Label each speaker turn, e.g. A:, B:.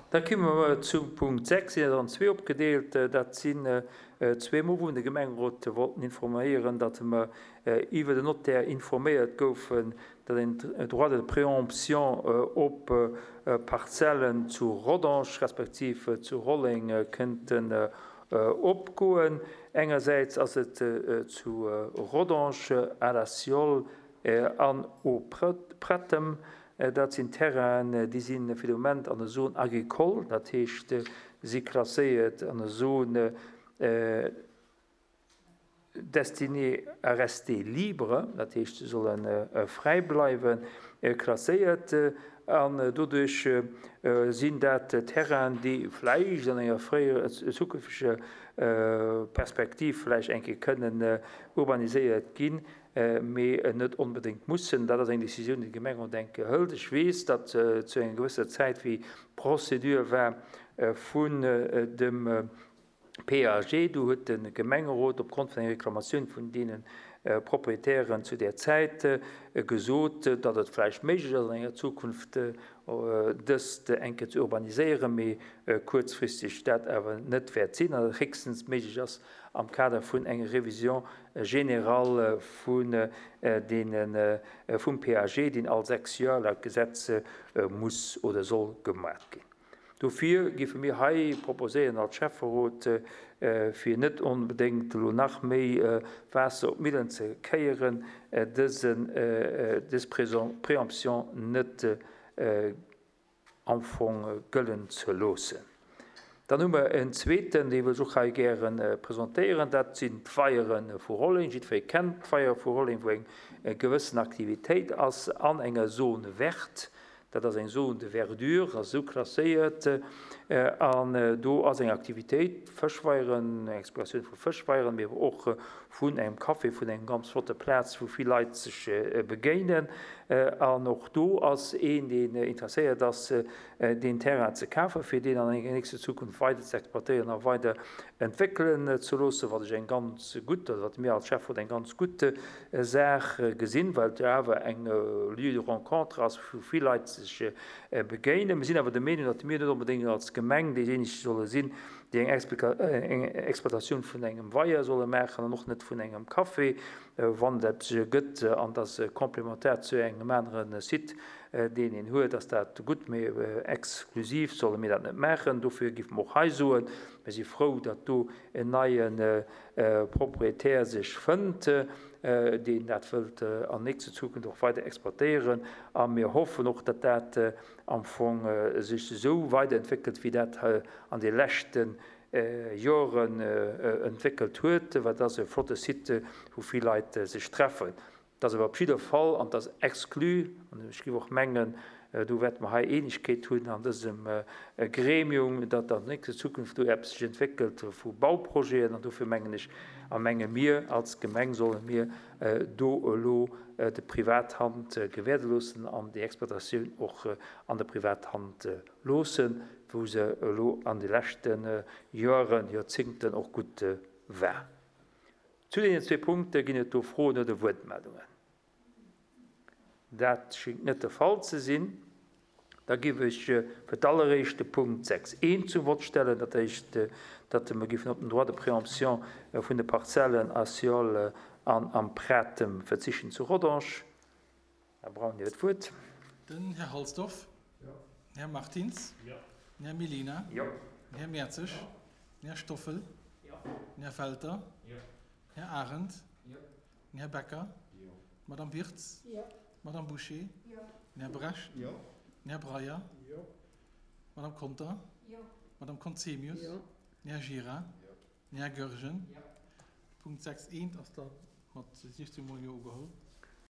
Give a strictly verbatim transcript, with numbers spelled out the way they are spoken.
A: Da komme mer zum Punkt sechs, sinn an zwee opgedeelt. Dat sinn zwee Mol, wou de Gemengerot wollten informéieren, datt mer iwwer den Notaire informéiert goufen, datt een Droit de préemption op Parzellen zu Rodange respektiv zu Rolleng kënnten opgoen. Engersäits ass et zu Rodange, à la Siol an au Prettem. Dat sinn Terrainen, déi sinn fir de Moment an der Zone agricole, dat heescht, si klasséiert an der Zone destinée à rester libre, dat heescht, se sollen fräi bleiwen, klasséiert. An doduerch sinn dat Terrainen, déi vläicht an enger fréierer zukünfteger Perspektiv vläicht eng Kéier kënnen urbaniséiert ginn, mee net onbedéngt mussen. Dat ass eng Decisioun, déi d'Gemeng denke hëlt. Ech weess, datt zu enger gewësser Zäit, wéi d'Procédure war vun dem P A G, do huet de Gemengerot opgrond vun enger Reklamatioun vun deene Proprietären zu der Zäit gesot, datt et vläicht méiglech ass, an enger Zukunft dëst eng Kéier ze urbaniséieren, mee kuerzfristeg dat awer net wäert sinn, an et héchstens méiglech ass, am Kader vun enger Révision générale vun deenen, vum P A G, deen all sechs Joer laut Gesetz muss oder soll gemaach ginn. Dofir géife mir hei proposéieren als Schäfferot, fir net onbedéngt elo nach méi Waasser op d'Millen ze kéieren, dësen, dës Préemption net am Fong gëllen ze loossen. Dann hu mer en zweeten, dee wëll ech och hei gären presentéieren, dat sinn d'Weiere vu Rolleng. Jiddweree kennt d'Weiere vu Rolleng, wou eng gewëssen Aktivitéit ass an enger Zone verte. Dat ass eng Zone de verdure, ass esou klasséiert, an do ass eng Aktivitéit, Fëschweieren, Exploratioun vu Fëschweieren, mee awer och vun engem Café, vun engem ganz flotte Plaz, wou vill Leit sech begéinen. An och do ass een, deen interesséiert ass, den Terrain ze kafen, fir deen an enger nächster Zukunft weider ze exploitéieren a weider entwéckelen ze loossen, wat ech eng ganz gutt, oder wat mir als Schäfferot eng ganz gutt Saach gesinn, well et awer eng Lieu de rencontre ass, wou vill Leit sech begéinen. Mir sinn awer der Meenung, datt mir net onbedéngt als Gemeng déijéineg solle sinn, déi eng eng Exploitatioun vun engem Weier solle maachen an och net vun engem Café, wann dat sech ergëtt an das komplementär zu engem aneren Site, deen een huet, ass dat gutt, mee exklusiv solle mir dat net maachen. Dofir géife mer och hei soen, mir si frou, datt do en neien Proprietär sech fënnt, deen dat wëllt an nächster Zukunft och weider exploitéieren. A mir hoffen och, datt dat am Fong sech esou weiterentwéckelt, wéi dat an de leschten Joren entwéckelt huet, well dat ass e flotte Site, wou vill Leit sech treffen. Dat ass awer op jidder Fall, an dat ass exclu, an ech géif och mengen, do wäerte mer hei Eenegkeet hunn an dësem Gremium, datt an nächster Zukunft do eppes sech entwéckelt vu Bauprojeten, an dofir mengen ech, a menge mir als Gemeng solle mir do elo de Privathand gewährde loossen an déi Exploitatioun och an der Privathand loossen, wou se elo an de leschten Joren, Joerzéngten och gutt war. Zu den zwee Punkte ginn et do Froen oder Wuertmeldungen. Dat schéngt net de Fall ze sinn. Da géif ech fir d'alleréischte Punkt sechs eent zum Wort stellen, dat heescht, datt mer géifen op den Droit de préemption vun de Parzellen a Siol an am Pratem verzichten zu Rodange. Herr Braun, Dir huet d'Wuert.
B: Den Herr Halsdorf.
C: Ja.
B: Den Herr Martins.
C: Ja.
B: Den Herr Mellina.
A: Ja.
B: Den Herr Mertzig.
C: Ja.
B: Den Herr Stoffel.
C: Ja.
B: Den Herr Felter.
C: Ja.
B: Den Herr Arendt.
C: Ja.
B: Den Herr Becker.
C: Ja.
B: Madame Wirtz.
D: Ja.
B: Madame Boucher.
D: Ja.
B: Den Herr Brecht.
C: Ja.
B: Den Herr Breyer.
C: Ja.
B: Madame Conter.
D: Ja.
B: Madame Conzemius.
D: Ja.
B: Den Herr Gira.
C: Ja.
B: Den Herr Goergen.
C: Ja.
B: Punkt sechs eent ass da mat siechzehn Mol Jo ugeholl.